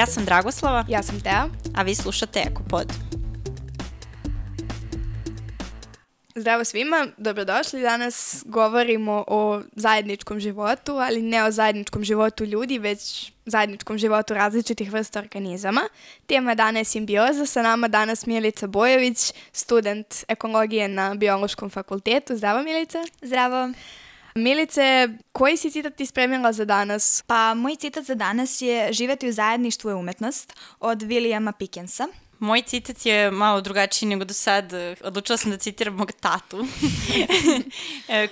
Ja sam Dragoslava. Ja sam Tea. A vi slušate Ekopod. Zdravo svima, dobrodošli. Danas govorimo o zajedničkom životu, ali ne o zajedničkom životu ljudi, već zajedničkom životu različitih vrsta organizama. Tema dana je simbioza. Sa nama danas Milica Bojović, student ekologije na Biološkom fakultetu. Zdravo, Milica. Zdravo. Milice, koji si citat ti spremila za danas? Pa moj citat za danas je "Živeti u zajedništvu je umetnost" od Williama Pickensa. Moj citat je malo drugačiji nego do sad. Odlučila sam da citiram mog tatu,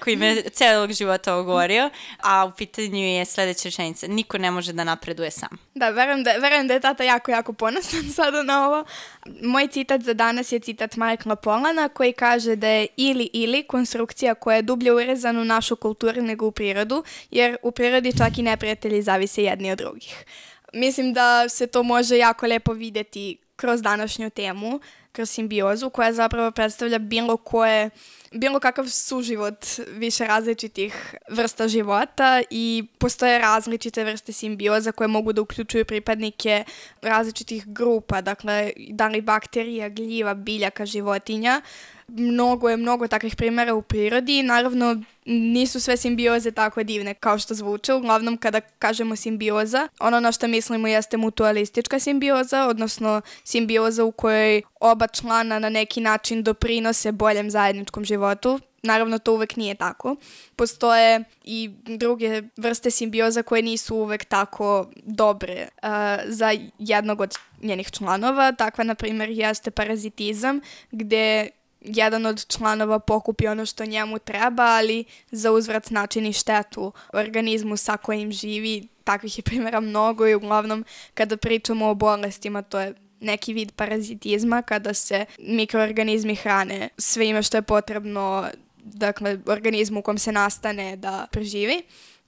koji me celog života ogovorio, a u pitanju je sledeća rečenica: niko ne može da napreduje sam. Da, verujem da je tata jako ponosan sada na ovo. Moj citat za danas je citat Michaela Pollana, koji kaže da je ili konstrukcija koja je dublje urezana u našu kulturu nego u prirodu, jer u prirodi čak i neprijatelji zavise jedni od drugih. Mislim da se to može jako lepo videti kroz današnju temu, kroz simbiozu, koja zapravo predstavlja bilo kakav suživot više različitih vrsta života i postoje različite vrste simbioza koje mogu da uključuju pripadnike različitih grupa, dakle, da li bakterija, gljiva, biljaka, životinja. Mnogo takvih primjera u prirodi. Naravno, nisu sve simbioze tako divne kao što zvuče. Uglavnom, kada kažemo simbioza, ono na što mislimo jeste mutualistička simbioza, odnosno simbioza u kojoj oba člana na neki način doprinose boljem zajedničkom životu. Naravno, to uvek nije tako. Postoje i druge vrste simbioza koje nisu uvek tako dobre za jednog od njenih članova. Takva, na primjer, jeste parazitizam, gde jedan od članova pokupi ono što njemu treba, ali za uzvrat načini štetu organizmu sa kojim živi. Takvih je primjera mnogo i uglavnom kada pričamo o bolestima, to je neki vid parazitizma, kada se mikroorganizmi hrane svime što je potrebno, dakle, organizmu u kom se nastane da preživi.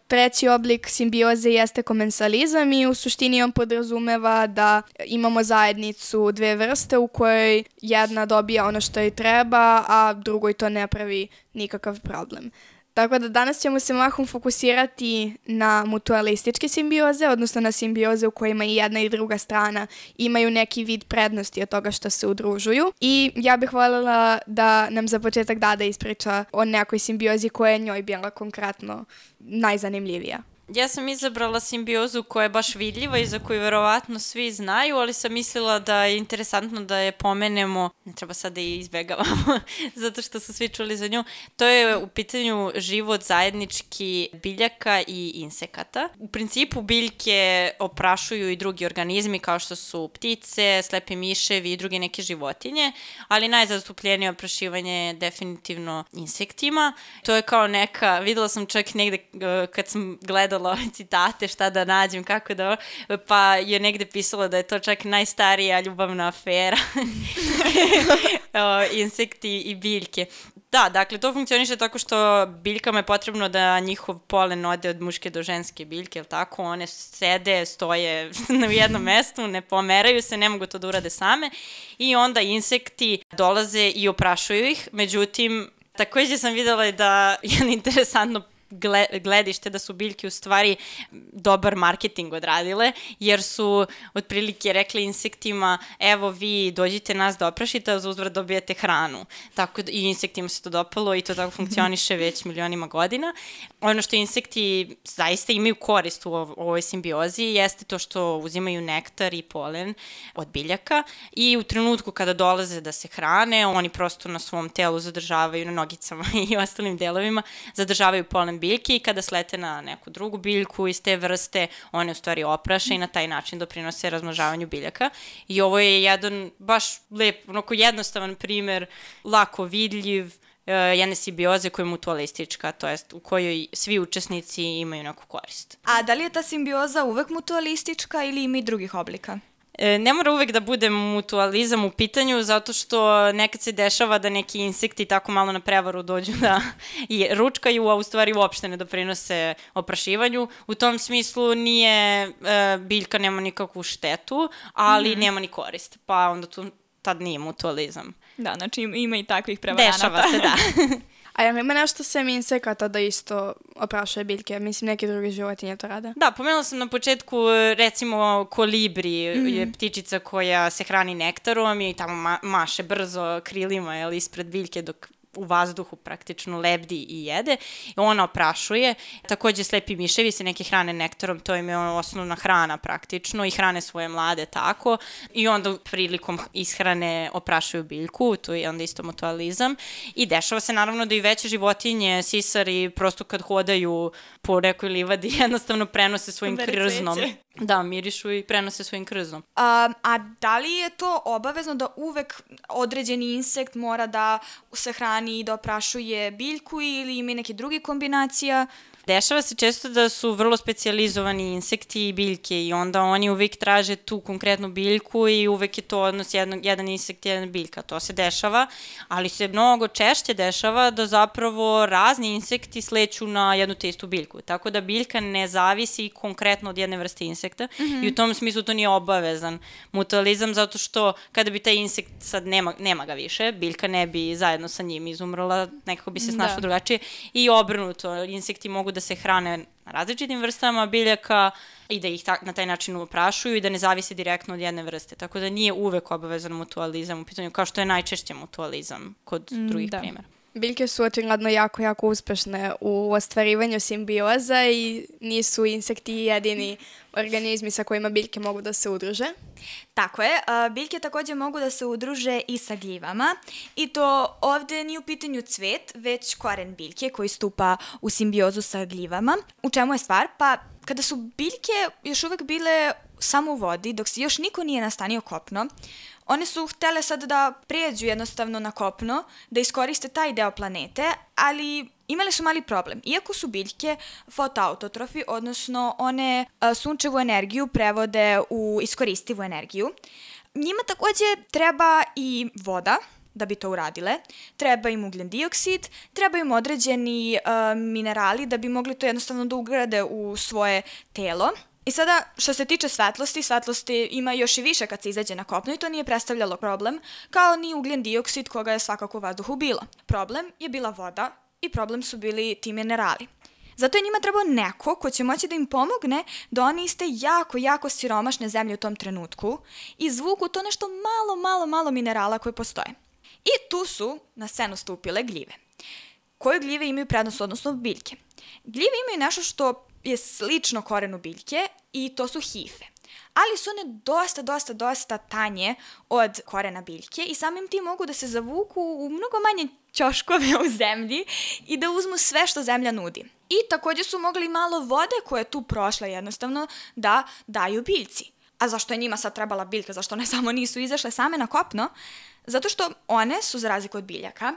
Treći oblik simbioze jeste komensalizam i u suštini on podrazumeva da imamo zajednicu dve vrste u kojoj jedna dobija ono što joj treba, a drugoj to ne pravi nikakav problem. Tako da danas ćemo se mahom fokusirati na mutualističke simbioze, odnosno na simbioze u kojima i jedna i druga strana imaju neki vid prednosti od toga što se udružuju. I ja bih voljela da nam za početak Dada ispriča o nekoj simbiozi koja je njoj bila konkretno najzanimljivija. Ja sam izabrala simbiozu koja je baš vidljiva i za koju verovatno svi znaju, ali sam mislila da je interesantno da je pomenemo, ne treba sad da je izbegavamo, zato što su svi čuli za nju. To je u pitanju život zajednički biljaka i insekata. U principu biljke oprašuju i drugi organizmi kao što su ptice, slepi miševi i druge neke životinje, ali najzastupljenije oprašivanje je definitivno insektima. To je kao neka, videla sam čak negde kad sam gledala citate, šta da nađem, kako da, pa je negde pisalo da je to čak najstarija ljubavna afera. Insekti i biljke. Da, dakle, to funkcioniše tako što biljkama je potrebno da njihov polen ode od muške do ženske biljke, jel tako? One sede, stoje na jednom mestu, ne pomeraju se, ne mogu to da urade same i onda insekti dolaze i oprašuju ih. Međutim, takođe sam videla da je interesantno gledište da su biljke u stvari dobar marketing odradile, jer su otprilike rekli insektima: evo vi dođite nas da oprašite, a za uzvrat dobijete hranu. Tako da i insektima se to dopalo i to tako funkcioniše već milionima godina. Ono što insekti zaista imaju korist u ovoj simbiozi jeste to što uzimaju nektar i polen od biljaka i u trenutku kada dolaze da se hrane, oni prosto na svom telu zadržavaju, na nogicama i ostalim delovima, zadržavaju polen biljke i kada slete na neku drugu biljku iz te vrste, one u stvari opraše i na taj način doprinose razmnožavanju biljaka. I ovo je jedan baš lep, onako jednostavan primer, lako vidljiv, jedne simbioze koja je mutualistička, to jest u kojoj svi učesnici imaju neku korist. A da li je ta simbioza uvek mutualistička ili ima i drugih oblika? Ne mora uvek da bude mutualizam u pitanju, zato što nekad se dešava da neki insekti tako malo na prevaru dođu da ručkaju, a u stvari uopšte ne doprinose oprašivanju. U tom smislu biljka nema nikakvu štetu, ali nema ni korist, pa onda tad nije mutualizam. Da, znači ima i takvih prevaranata. Dešava se, da. A jel ima nešto sem insekata da isto oprašuje biljke? Mislim, neke druge životinje to rade. Da, pomenula sam na početku, recimo, kolibri je ptičica koja se hrani nektarom i tamo maše brzo krilima ispred biljke dok u vazduhu praktično lebdi i jede. I ona oprašuje. Takođe slepi miševi se neke hrane nektarom, to im je osnovna hrana praktično i hrane svoje mlade tako. I onda prilikom ishrane oprašuju biljku, to je onda isto mutualizam. I dešava se naravno da i veće životinje, sisari, prosto kad hodaju po nekoj livadi jednostavno prenose svojim krznom. Da, mirišu i prenose svojim krznom. A da li je to obavezno da uvek određeni insekt mora da se hrani i da oprašuje biljku ili ima neke druge kombinacija? Dešava se često da su vrlo specijalizovani insekti i biljke i onda oni uvek traže tu konkretnu biljku i uvek je to odnos jedan insekt, jedna biljka. To se dešava, ali se mnogo češće dešava da zapravo razni insekti sleću na jednu te istu biljku. Tako da biljka ne zavisi konkretno od jedne vrste insekta i u tom smislu to nije obavezan mutualizam zato što kada bi taj insekt sad nema ga više, biljka ne bi zajedno sa njim izumrla, nekako bi se snašla drugačije i obrnuto, insekti mogu da se hrane na različitim vrstama biljaka i da ih na taj način oprašuju i da ne zavise direktno od jedne vrste. Tako da nije uvek obavezan mutualizam u pitanju, kao što je najčešće mutualizam kod drugih primjera. Biljke su očigledno jako uspešne u ostvarivanju simbioza i nisu insekti jedini organizmi sa kojima biljke mogu da se udruže. Tako je, biljke takođe mogu da se udruže i sa gljivama i to ovde nije u pitanju cvet, već koren biljke koji stupa u simbiozu sa gljivama. U čemu je stvar? Pa kada su biljke još uvek bile samo u vodi, dok se još niko nije nastanio kopno, one su htele sad da pređu jednostavno na kopno, da iskoriste taj deo planete, ali imali su mali problem. Iako su biljke fotoautotrofi, odnosno one sunčevu energiju prevode u iskoristivu energiju, njima takođe treba i voda da bi to uradile, treba im ugljen dioksid, treba im određeni minerali da bi mogli to jednostavno da ugrade u svoje telo. I sada, što se tiče svetlosti ima još i više kad se izađe na kopno i to nije predstavljalo problem, kao ni ugljen dioksid koga je svakako u vazduhu bilo. Problem je bila voda i problem su bili ti minerali. Zato je njima trebao neko ko će moći da im pomogne da oni iste jako siromašne zemlje u tom trenutku i izvuku to nešto malo minerala koje postoje. I tu su na scenu stupile gljive. Koje gljive imaju prednost, odnosno biljke? Gljive imaju nešto što je slično korenu biljke i to su hife. Ali su one dosta tanje od korena biljke i samim tim mogu da se zavuku u mnogo manje ćoškove u zemlji i da uzmu sve što zemlja nudi. I takođe su mogli malo vode koja je tu prošla jednostavno da daju biljci. A zašto je njima sad trebala biljka? Zašto one samo nisu izašle same na kopno? Zato što one su, za razliku od biljaka,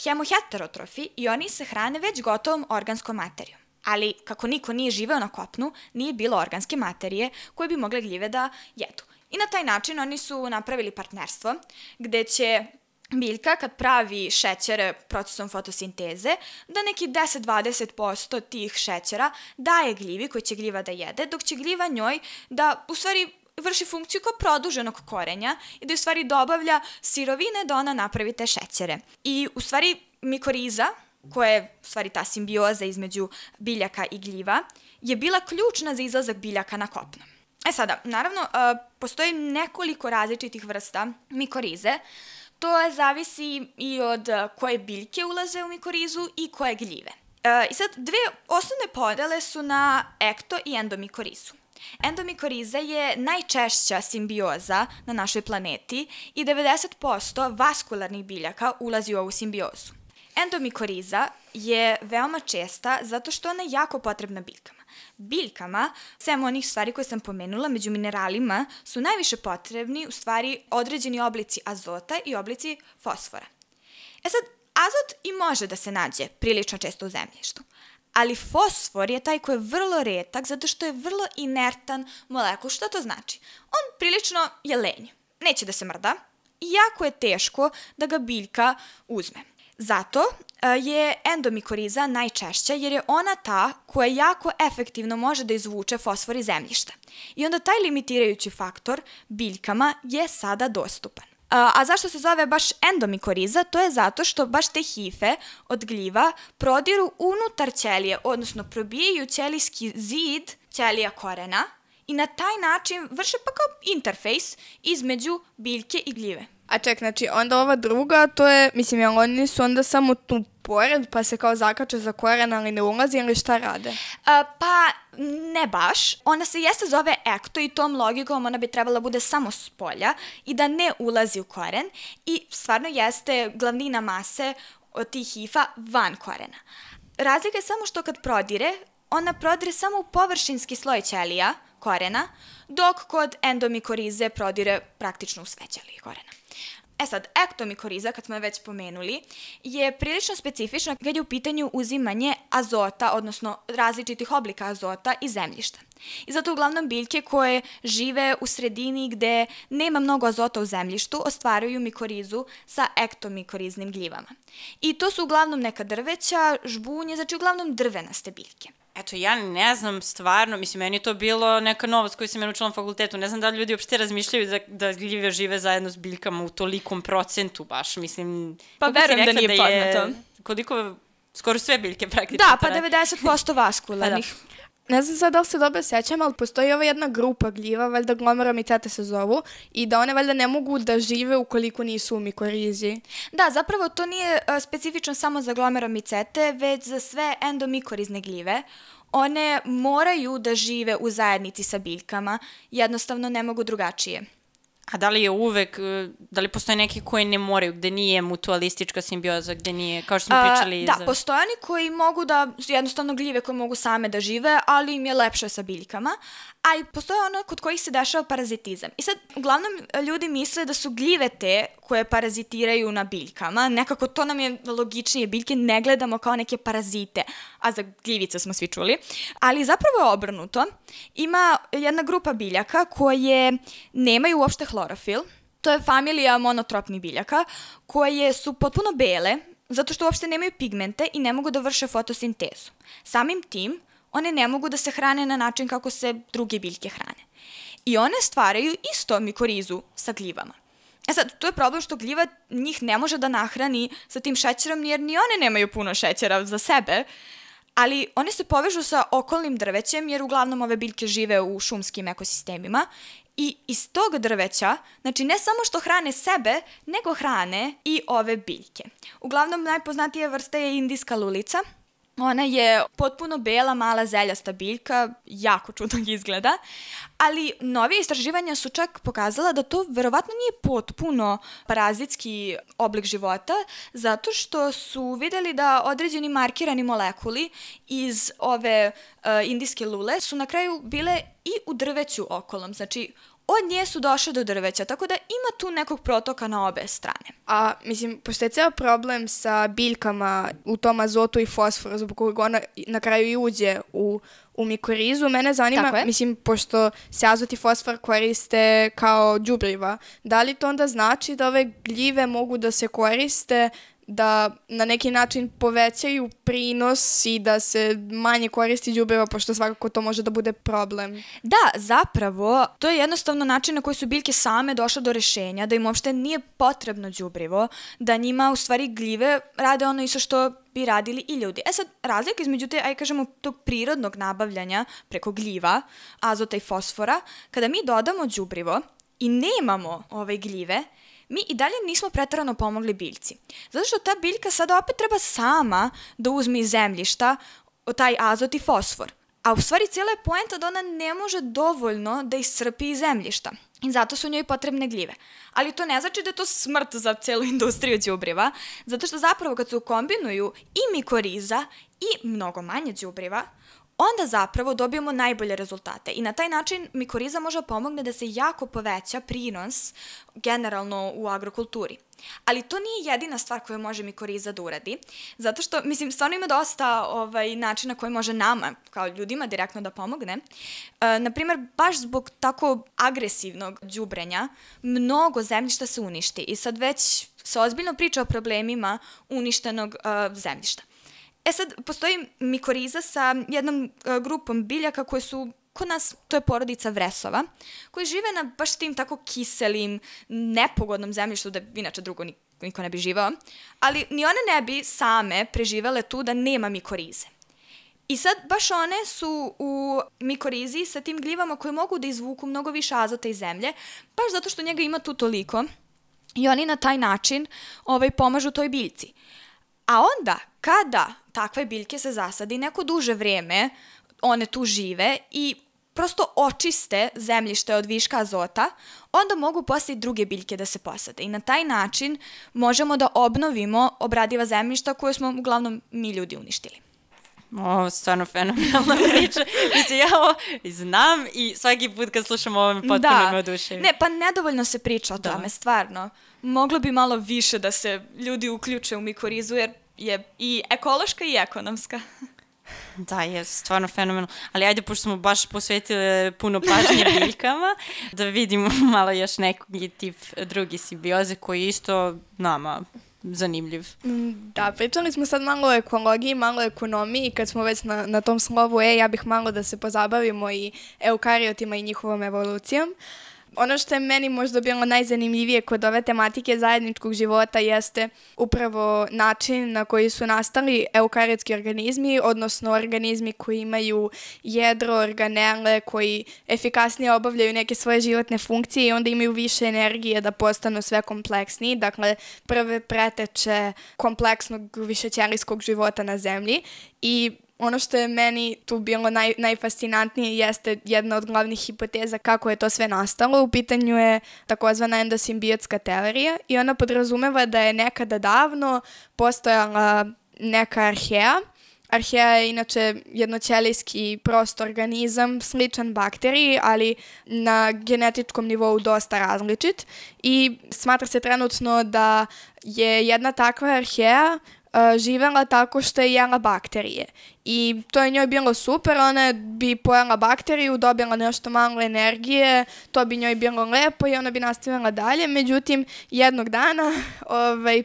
hemoheterotrofi i oni se hrane već gotovom organskom materijom. Ali kako niko nije živeo na kopnu, nije bilo organske materije koje bi mogle gljive da jedu. I na taj način oni su napravili partnerstvo gde će biljka kad pravi šećere procesom fotosinteze, da neki 10-20% tih šećera daje gljivi koji će gljiva da jede, dok će gljiva njoj da u stvari vrši funkciju kao produženog korenja i da u stvari dobavlja sirovine da ona napravi te šećere. I u stvari mikoriza, koja je u stvari ta simbioza između biljaka i gljiva, je bila ključna za izlazak biljaka na kopno. Sada, naravno, postoji nekoliko različitih vrsta mikorize. To zavisi i od koje biljke ulaze u mikorizu i koje gljive. I sad, dve osnovne podele su na ekto i endomikorizu. Endomikoriza je najčešća simbioza na našoj planeti i 90% vaskularnih biljaka ulazi u ovu simbiozu. Endomikoriza je veoma česta zato što ona je jako potrebna biljkama. Biljkama, sem onih stvari koje sam pomenula, među mineralima su najviše potrebni u stvari određeni oblici azota i oblici fosfora. Sad, azot i može da se nađe prilično često u zemljištu, ali fosfor je taj koji je vrlo retak zato što je vrlo inertan molekul. Što to znači? On prilično je lenj, neće da se mrda i jako je teško da ga biljka uzme. Zato je endomikoriza najčešća jer je ona ta koja jako efektivno može da izvuče fosfor iz zemljišta. I onda taj limitirajući faktor biljkama je sada dostupan. A zašto se zove baš endomikoriza? To je zato što baš te hife od gljiva prodiru unutar ćelije, odnosno probijaju ćelijski zid ćelija korena i na taj način vrše pa kao interfejs između biljke i gljive. A ček, znači onda ova druga, to je, mislim, jel oni su onda samo tu pored pa se kao zakače za koren, ali ne ulazi ili šta rade? Pa ne baš. Ona se jeste zove ekto i tom logikom ona bi trebala bude samo s polja i da ne ulazi u koren i stvarno jeste glavnina mase od tih hifa van korena. Razlika je samo što kad prodire, ona prodire samo u površinski sloj ćelija korena, dok kod endomikorize prodire praktično u sve ćelije korena. Sad, ektomikoriza, kad smo je već pomenuli, je prilično specifična kad je u pitanju uzimanje azota, odnosno različitih oblika azota iz zemljišta. I zato uglavnom biljke koje žive u sredini gde nema mnogo azota u zemljištu ostvaruju mikorizu sa ektomikoriznim gljivama. I to su uglavnom neka drveća, žbunje, znači uglavnom drvenaste biljke. Eto, ja ne znam stvarno, mislim, meni je to bilo neka novost koju sam ja naučila na fakultetu. Ne znam da li ljudi uopšte razmišljaju da gljive žive zajedno s biljkama u tolikom procentu baš, mislim... Pa verujem da nije poznato. Koliko, skoro sve biljke praktično. Da, pa 90% vaskularnih. Ne znam sad da li se dobro sećam, ali postoji ova jedna grupa gljiva, valjda glomeromicete se zovu, i da one valjda ne mogu da žive ukoliko nisu u mikorizi. Da, zapravo to nije specifično samo za glomeromicete, već za sve endomikorizne gljive. One moraju da žive u zajednici sa biljkama, jednostavno ne mogu drugačije. A da li je uvek, da li postoje neki koji ne moraju, gde nije mutualistička simbioza, gde nije, kao što smo pričali... Da, postoje oni koji mogu da, jednostavno gljive koje mogu same da žive, ali im je lepše sa biljkama, a i postoje ono kod kojih se dešava parazitizam. I sad, uglavnom, ljudi misle da su gljive te koje parazitiraju na biljkama, nekako to nam je logičnije, biljke ne gledamo kao neke parazite, a za gljivice smo svi čuli, ali zapravo je obrnuto. Ima jedna grupa biljaka koje nemaju uopšte hlorofil, to je familija monotropnih biljaka, koje su potpuno bele, zato što uopšte nemaju pigmente i ne mogu da vrše fotosintezu. Samim tim, one ne mogu da se hrane na način kako se druge biljke hrane. I one stvaraju isto mikorizu sa gljivama. Sad, to je problem što gljiva njih ne može da nahrani sa tim šećerom, jer ni one nemaju puno šećera za sebe, ali one se povežu sa okolnim drvećem, jer uglavnom ove biljke žive u šumskim ekosistemima i iz tog drveća, znači ne samo što hrane sebe, nego hrane i ove biljke. Uglavnom najpoznatija vrsta je indijska lulica. Ona je potpuno bela, mala zeljasta biljka, jako čudno izgleda, ali novije istraživanja su čak pokazala da to verovatno nije potpuno parazitski oblik života, zato što su videli da određeni markirani molekuli iz ove indijske lule su na kraju bile i u drveću okolom, znači od nje su došle do drveća, tako da ima tu nekog protoka na obe strane. A, mislim, pošto je ceo problem sa biljkama u tom azotu i fosforu, zbog kojeg ona na kraju i uđe u mikorizu, mene zanima, mislim, pošto se azot i fosfor koriste kao đubriva, da li to onda znači da ove gljive mogu da se koriste da na neki način povećaju prinos i da se manje koristi đubriva, pošto svakako to može da bude problem. Da, zapravo, to je jednostavno način na koji su biljke same došle do rešenja, da im uopšte nije potrebno đubrivo, da njima u stvari gljive rade ono isto što bi radili i ljudi. Sad, razlika između te, aj kažemo, tog prirodnog nabavljanja preko gljiva, azota i fosfora, kada mi dodamo đubrivo i nemamo ove gljive, mi i dalje nismo preterano pomogli biljci. Zato što ta biljka sada opet treba sama da uzme iz zemljišta taj azot i fosfor. A u stvari cijela je poenta da ona ne može dovoljno da iscrpi iz zemljišta. I zato su njoj potrebne gljive. Ali to ne znači da je to smrt za celu industriju đubriva, zato što zapravo kad se ukombinuju i mikoriza i mnogo manje đubriva, onda zapravo dobijemo najbolje rezultate i na taj način mikoriza može pomogne da se jako poveća prinos generalno u agrokulturi. Ali to nije jedina stvar koju može mikoriza da uradi, zato što, mislim, stvarno ima dosta načina koji može nama, kao ljudima, direktno da pomogne. Naprimer, baš zbog tako agresivnog đubrenja, mnogo zemljišta se uništi i sad već se ozbiljno priča o problemima uništenog zemljišta. Sad, postoji mikoriza sa jednom grupom biljaka koje su kod nas to je porodica vresova, koji žive na baš tim tako kiselim, nepogodnom zemljištu, da inače drugo niko ne bi živao, ali ni one ne bi same preživele tu da nema mikorize. I sad baš one su u mikorizi sa tim gljivama koje mogu da izvuku mnogo više azota iz zemlje, baš zato što njega ima tu toliko i oni na taj način pomažu toj biljci. A onda, kada takve biljke se zasadi, neko duže vreme one tu žive i prosto očiste zemljište od viška azota, onda mogu posle i druge biljke da se posade. I na taj način možemo da obnovimo obradiva zemljišta koje smo uglavnom mi ljudi uništili. Ovo je stvarno fenomenalna priča. Mislim, ja ovo znam i svaki put kad slušam ovo potpuno me oduševim. Ne, pa nedovoljno se priča o tome, stvarno. Moglo bi malo više da se ljudi uključe u mikorizu, jer je i ekološka i ekonomska. Da, je stvarno fenomenalno. Ali ajde, pošto smo baš posvetili puno pažnje biljkama, da vidimo malo još neki tip drugi simbioze koji je isto nama zanimljiv. Da, pričali smo sad malo o ekologiji, malo o ekonomiji. Kad smo već na tom slovu ja bih malo da se pozabavimo i eukariotima i njihovom evolucijom. Ono što je meni možda bilo najzanimljivije kod ove tematike zajedničkog života jeste upravo način na koji su nastali eukariotski organizmi, odnosno organizmi koji imaju jedro, organele, koji efikasnije obavljaju neke svoje životne funkcije i onda imaju više energije da postanu sve kompleksniji. Dakle, prve preteče kompleksnog višećelijskog života na zemlji i ono što je meni tu bilo najfascinantnije jeste jedna od glavnih hipoteza kako je to sve nastalo. U pitanju je takozvana endosimbiotska teorija i ona podrazumeva da je nekada davno postojala neka arheja. Arheja je inače jednoćelijski prost organizam, sličan bakteriji, ali na genetičkom nivou dosta različit i smatra se trenutno da je jedna takva arheja živela tako što je jela bakterije. I to je njoj bilo super, ona bi pojela bakteriju, dobila nešto malo energije, to bi njoj bilo lepo i ona bi nastavila dalje. Međutim, jednog dana,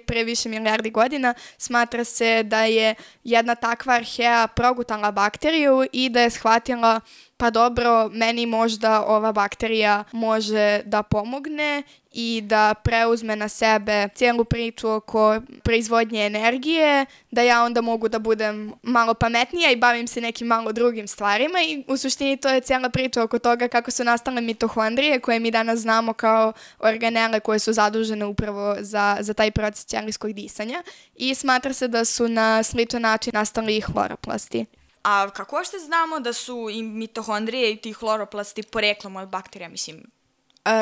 pre više milijardi godina, smatra se da je jedna takva arheja progutala bakteriju i da je shvatila pa dobro, meni možda ova bakterija može da pomogne i da preuzme na sebe cijelu priču oko proizvodnje energije, da ja onda mogu da budem malo pametnija i bavim se nekim malo drugim stvarima i u suštini to je cijela priča oko toga kako su nastale mitohondrije koje mi danas znamo kao organele koje su zadužene upravo za taj proces ćelijskog disanja i smatra se da su na sličan način nastali i hloroplasti. A kako ošte znamo da su i mitohondrije i ti hloroplasti poreklom od bakterija, mislim?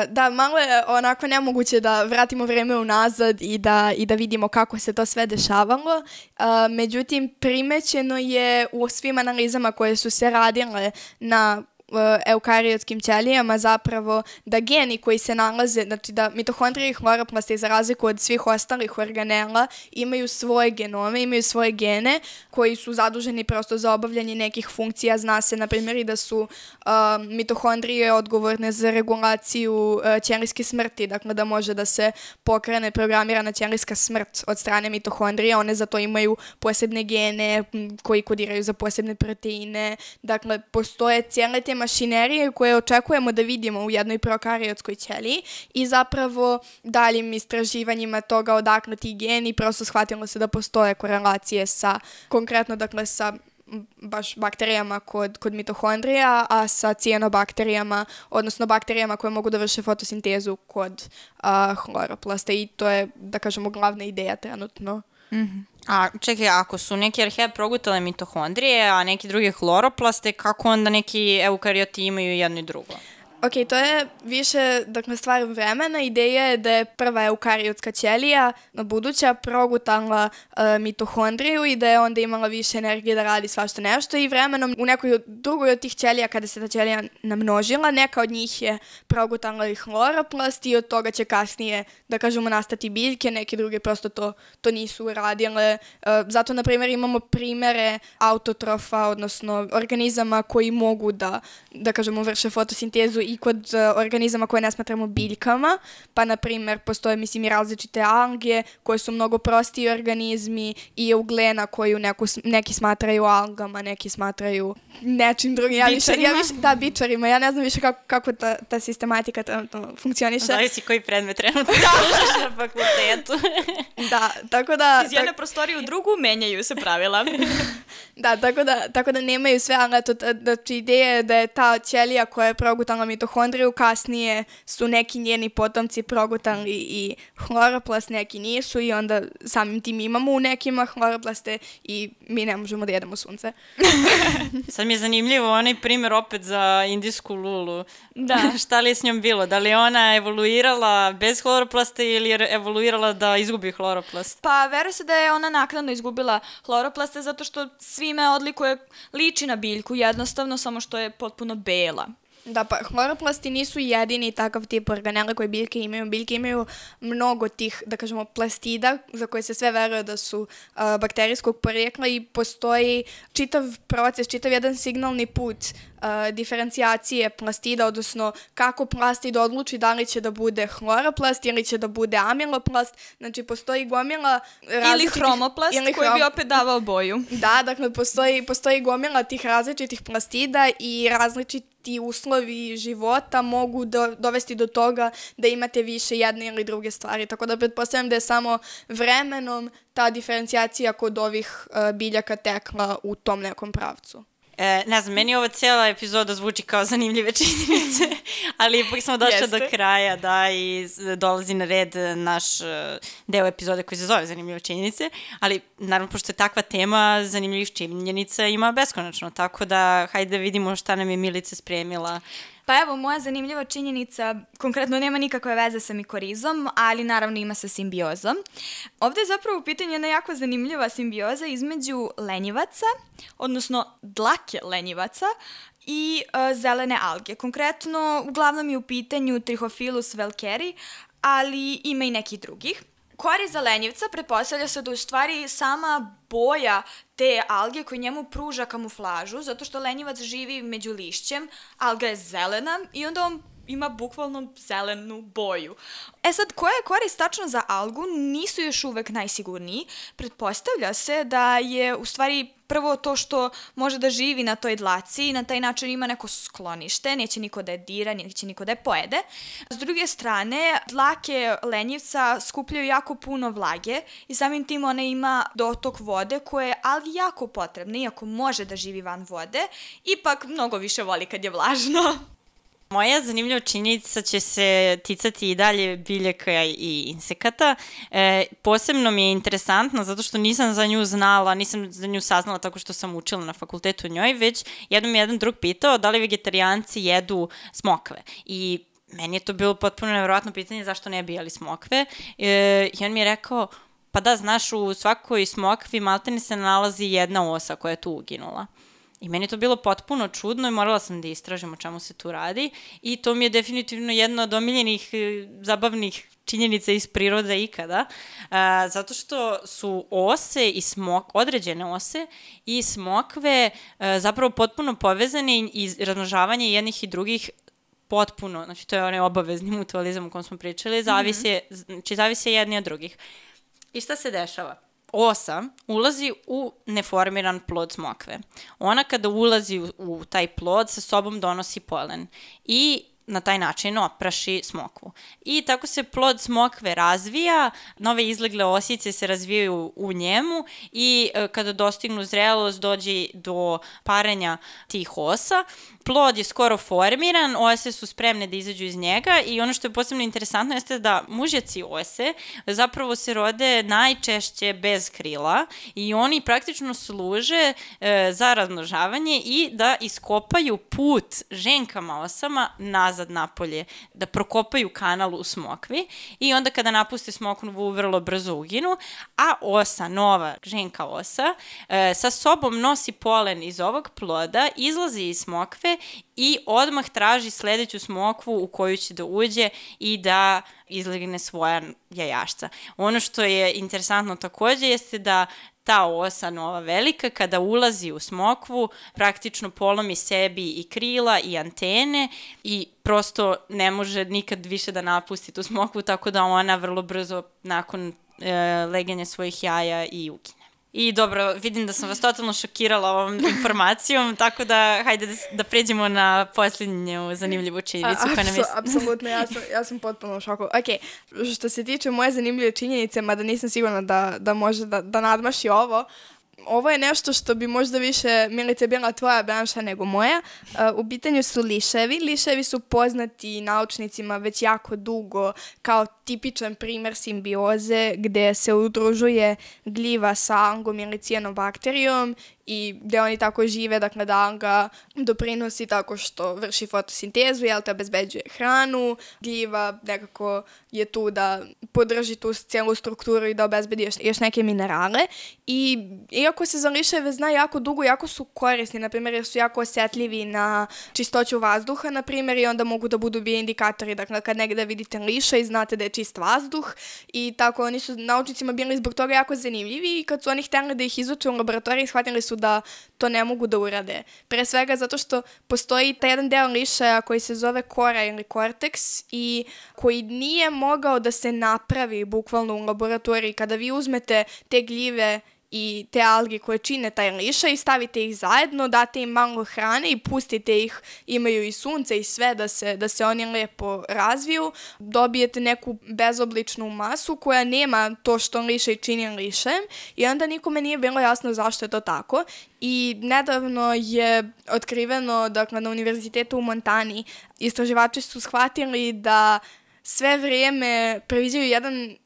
Da, malo je onako nemoguće da vratimo vreme unazad i da vidimo kako se to sve dešavalo. Međutim, primećeno je u svim analizama koje su se radile na eukariotskim ćelijama zapravo da geni koji se nalaze, znači da mitohondrije i hloroplasti za razliku od svih ostalih organela imaju svoje genome, imaju svoje gene koji su zaduženi prosto za obavljanje nekih funkcija. Zna se, na primjer, i da su mitohondrije odgovorne za regulaciju ćelijske smrti, dakle da može da se pokrene programirana ćelijska smrt od strane mitohondrija. One za to imaju posebne gene koji kodiraju za posebne proteine. Dakle, postoje cijele te mašinerije koje očekujemo da vidimo u jednoj prokariotskoj ćeliji i zapravo daljim istraživanjima toga odakle ti geni prosto shvatilo se da postoje korelacije sa, konkretno dakle sa baš bakterijama kod mitohondrija, a sa cijanobakterijama, odnosno bakterijama koje mogu da vrše fotosintezu kod hloroplasta i to je, da kažemo, glavna ideja trenutno. Mm-hmm. A čekaj, ako su neke arheje progutale mitohondrije, a neki drugi hloroplaste, kako onda neki eukarioti imaju jedno i drugo? Ok, to je više, dakle, stvar vremena. Ideja je da je prva eukariotska ćelija buduća progutala mitohondriju i da je onda imala više energije da radi svašta nešto i vremenom u nekoj drugoj od tih ćelija, kada se ta ćelija namnožila, neka od njih je progutala i hloroplast i od toga će kasnije, da kažemo, nastati biljke, neke druge prosto to nisu uradile. Zato, na primjer, imamo primere autotrofa, odnosno organizama koji mogu da kažemo, vrše fotosintezu i kod organizama koje ne smatramo biljkama, pa na primjer postoje mislim i različite alge koje su mnogo prostiji organizmi i euglena koju neki smatraju algama, neki smatraju nečim drugim. Da, bičarima. Ja ne znam više kako ta sistematika funkcioniše. Zavisi koji predmet trenutno na fakultetu. Da, tako da... Iz jedne prostorije u drugu menjaju se pravila. Da, tako da nemaju sve, ali eto, znači ideja je da je ta ćelija koja je progutala mitohondriju, kasnije su neki njeni potomci progutali i hloroplast, neki nisu i onda samim tim imamo u nekima hloroplaste i mi ne možemo da jedemo sunce. Sad mi je zanimljivo onaj primjer opet za indijsku lulu. Da. Šta li je s njom bilo? Da li je ona evoluirala bez hloroplasta ili je evoluirala da izgubi hloroplast? Pa veruje se da je ona naknadno izgubila hloroplaste zato što svime odlikuje, liči na biljku jednostavno, samo što je potpuno bela. Da, pa hloroplasti nisu jedini takav tip organela koje biljke imaju. Biljke imaju mnogo tih, da kažemo, plastida za koje se sve veruje da su bakterijskog porijekla i postoji čitav proces, čitav jedan signalni put diferencijacije plastida, odnosno kako plastid odluči da li će da bude hloroplast ili će da bude amiloplast. Znači, postoji gomila ili hromoplast koji bi opet davao boju. Da, dakle, postoji gomila tih različitih plastida i različiti uslovi života mogu dovesti do toga da imate više jedne ili druge stvari. Tako da pretpostavljam da je samo vremenom ta diferencijacija kod ovih biljaka tekla u tom nekom pravcu. Ne znam, meni ova cijela epizoda zvuči kao zanimljive činjenice, ali ipak smo došli do kraja, da, i dolazi na red naš deo epizode koji se zove zanimljive činjenice, ali naravno, pošto je takva tema, zanimljivih činjenica ima beskonačno, tako da hajde da vidimo šta nam je Milica spremila. Pa evo, moja zanimljiva činjenica konkretno nema nikakve veze sa mikorizom, ali naravno ima sa simbiozom. Ovde je zapravo u pitanju jedna jako zanimljiva simbioza između lenjivaca, odnosno dlake lenjivaca i zelene alge. Konkretno, uglavnom je u pitanju Trichophilus velkeri, ali ima i nekih drugih. Korist za lenjivca pretpostavlja se da u stvari sama boja te alge koja njemu pruža kamuflažu, zato što lenjivac živi među lišćem, alga je zelena i onda on ima bukvalno zelenu boju. E sad, koja je korist tačno za algu, nisu još uvek najsigurniji. Pretpostavlja se da je u stvari prvo to što može da živi na toj dlaci i na taj način ima neko sklonište, neće niko da je dira, neće niko da je pojede. S druge strane, dlake lenjivca skupljaju jako puno vlage i samim tim ona ima dotok vode koje je algi jako potrebna, iako može da živi van vode, ipak mnogo više voli kad je vlažno. Moja zanimljiva činjenica će se ticati i dalje biljaka i insekata. Posebno mi je interesantna zato što nisam za nju znala, nisam za nju saznala tako što sam učila na fakultetu o njoj, već jednom je jedan drug pitao da li vegetarijanci jedu smokve. I meni je to bilo potpuno nevjerojatno pitanje zašto ne bi jeli smokve. I on mi je rekao, pa da, znaš, u svakoj smokvi maltene se nalazi jedna osa koja je tu uginula. I meni je to bilo potpuno čudno i morala sam da istražim o čemu se tu radi i to mi je definitivno jedna od omiljenih zabavnih činjenica iz prirode ikada, zato što su ose i određene ose i smokve zapravo potpuno povezane i razmnožavanje jednih i drugih potpuno, znači to je onaj obavezni mutualizam o kom smo pričali, zavise jedni od drugih. I šta se dešava? Osa ulazi u neformiran plod smokve. Ona kada ulazi u taj plod sa sobom donosi polen i na taj način opraši smokvu. I tako se plod smokve razvija, nove izlegle osice se razvijaju u njemu i kada dostignu zrelost dođe do parenja tih osa. Plod je skoro formiran, ose su spremne da izađu iz njega i ono što je posebno interesantno jeste da mužjaci ose zapravo se rode najčešće bez krila i oni praktično služe za razmnožavanje i da iskopaju put ženkama osama nazad napolje, da prokopaju kanal u smokvi i onda kada napuste smokvu vrlo brzo uginu, a osa, nova ženka osa, sa sobom nosi polen iz ovog ploda, izlazi iz smokve i odmah traži sledeću smokvu u koju će da uđe i da izlegne svoja jajašca. Ono što je interesantno takođe jeste da ta osa nova velika kada ulazi u smokvu praktično polomi sebi i krila i antene i prosto ne može nikad više da napusti tu smokvu, tako da ona vrlo brzo nakon legenja svojih jaja i ukine. I dobro, vidim da sam vas totalno šokirala ovom informacijom, tako da hajde da pređemo na posljednju zanimljivu činjenicu. Apsolutno, ja sam potpuno u šoku. Ok, što se tiče moje zanimljive činjenice, mada nisam sigurna da može da nadmaši ovo je nešto što bi možda više, Milice, bila tvoja branša nego moja. U pitanju su liševi. Liševi su poznati naučnicima već jako dugo kao tipičan primer simbioze gde se udružuje gljiva sa algom ili cijanobakterijom i gde oni tako žive, dakle da alga doprinosi tako što vrši fotosintezu, te obezbeđuje hranu, gljiva nekako je tu da podrži tu cijelu strukturu i da obezbedi još neke minerale. I iako se za liševe zna jako dugo, jako su korisni, na primjer jer su jako osjetljivi na čistoću vazduha, na primjer, i onda mogu da budu bioindikatori, dakle kad negde vidite liša i znate da je čist vazduh i tako oni su naučnicima bili zbog toga jako zanimljivi i kad su oni htjeli da ih izuče u laboratoriji, shvatili su da to ne mogu da urade. Pre svega zato što postoji taj jedan deo lišaja koji se zove kora ili korteks i koji nije mogao da se napravi bukvalno u laboratoriji. Kada vi uzmete te gljive i te alge koje čine taj lišaj i stavite ih zajedno, date im malo hrane i pustite ih, imaju i sunce i sve da se oni lepo razviju, dobijete neku bezobličnu masu koja nema to što lišaj čini lišajem i onda nikome nije bilo jasno zašto je to tako. I nedavno je otkriveno, dakle, na univerzitetu u Montani, istraživači su shvatili da sve vrijeme previđaju jedan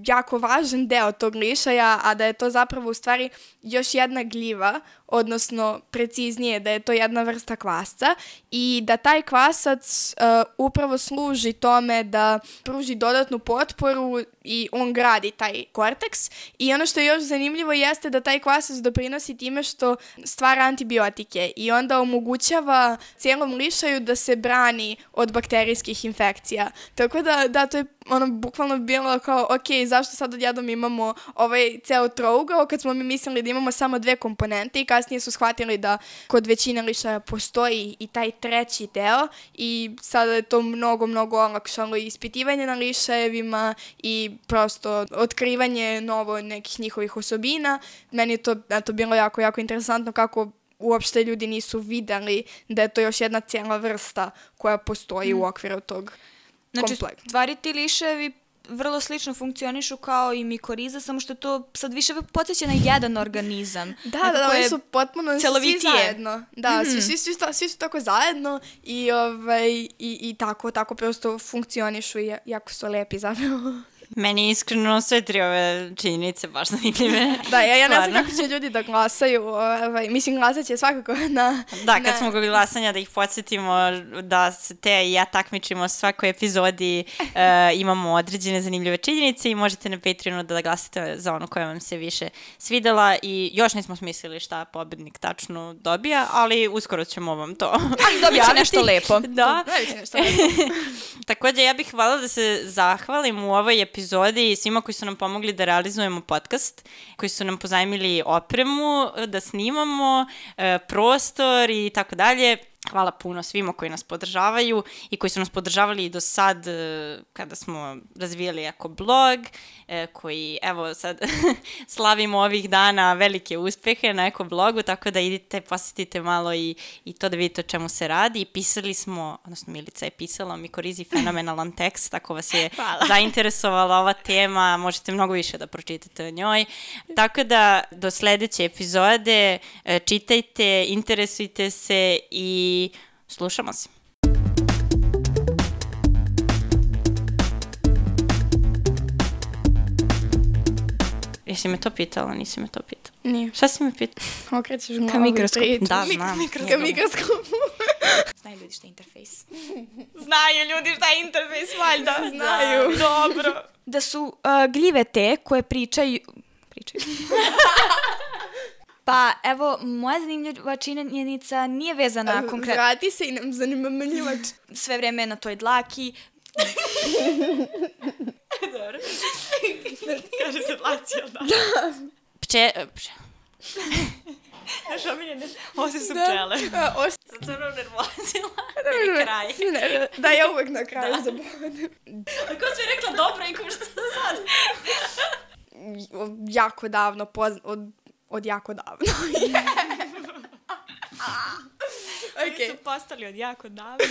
jako važan deo tog lišaja, a da je to zapravo u stvari još jedna gljiva, odnosno preciznije da je to jedna vrsta kvasca i da taj kvasac upravo služi tome da pruži dodatnu potporu i on gradi taj korteks. I ono što je još zanimljivo jeste da taj kvasac doprinosi time što stvara antibiotike i onda omogućava cijelom lišaju da se brani od bakterijskih infekcija. Tako da to je bukvalno bilo kao, ok, zašto sad odjednom imamo ovaj ceo trougao kad smo mi mislili da imamo samo dve komponente i kasnije su shvatili da kod većine lišaja postoji i taj treći deo i sada je to mnogo olakšalo ispitivanje na lišajevima i prosto otkrivanje novo nekih njihovih osobina. Meni je to bilo jako interesantno kako uopšte ljudi nisu videli da je to još jedna cijela vrsta koja postoji u okviru tog kompleksa. Znači, stvari ti liševi vrlo slično funkcionišu kao i mikoriza, samo što to sad više podsjeća na jedan organizam. Da, oni su potpuno svi zajedno. Da, svi su tako zajedno i tako prosto funkcionišu i jako su lepi zapravo. Meni iskreno sve tri ove činjenice baš zanimljive. Da, ja ne znam kako će ljudi da glasaju. Mislim, glasat će svakako na... Da, kad smo kod glasanja da ih podsjetimo da se te i ja takmičimo svakoj epizodi, imamo određene zanimljive činjenice i možete na Patreonu da glasate za ono koja vam se više svidela i još nismo smislili šta pobednik tačno dobija, ali uskoro ćemo vam to dobit će nešto lepo. Da. Također, ja bih hvala da se zahvalim u ovoj epizodi i svima koji su nam pomogli da realizujemo podcast, koji su nam pozajmili opremu, da snimamo, prostor i tako dalje. Hvala puno svima koji nas podržavaju i koji su nas podržavali i do sad kada smo razvijali jako blog, koji evo sad slavimo ovih dana velike uspehe na eko blogu, tako da idite, posjetite malo i to da vidite o čemu se radi. I pisali smo, odnosno Milica je pisala o mikorizi fenomenalan tekst, ako vas je zainteresovala ova tema, možete mnogo više da pročitate o njoj. Tako da do sledeće epizode čitajte, interesujte se i slušamo se. Jesi me to pitala, nisi me to pitala? Nije. Šta si me pitala? Okrećeš glavu. Ka mikroskopu. Da, znam. Ka mikroskopu. Znaju ljudi šta je interfejs. Znaju ljudi šta je interfejs, valjda. Znaju. Dobro. Da su gljive te koje pričaju... Pa, evo, moja zanimljiva činjenica nije vezana konkretno... Vrati se i nam zanimljivač. Sve vreme je na toj dlaki. Dobro. Kaže se dlaci, da. Naš omiljene, ovo su pčele. Sad sam nervozila. Je kraj. Da, ja uvek na kraju zaboravim. Ako si rekla dobro i ko što sad? Jako davno, od jako davno. Oni su postali od jako davno.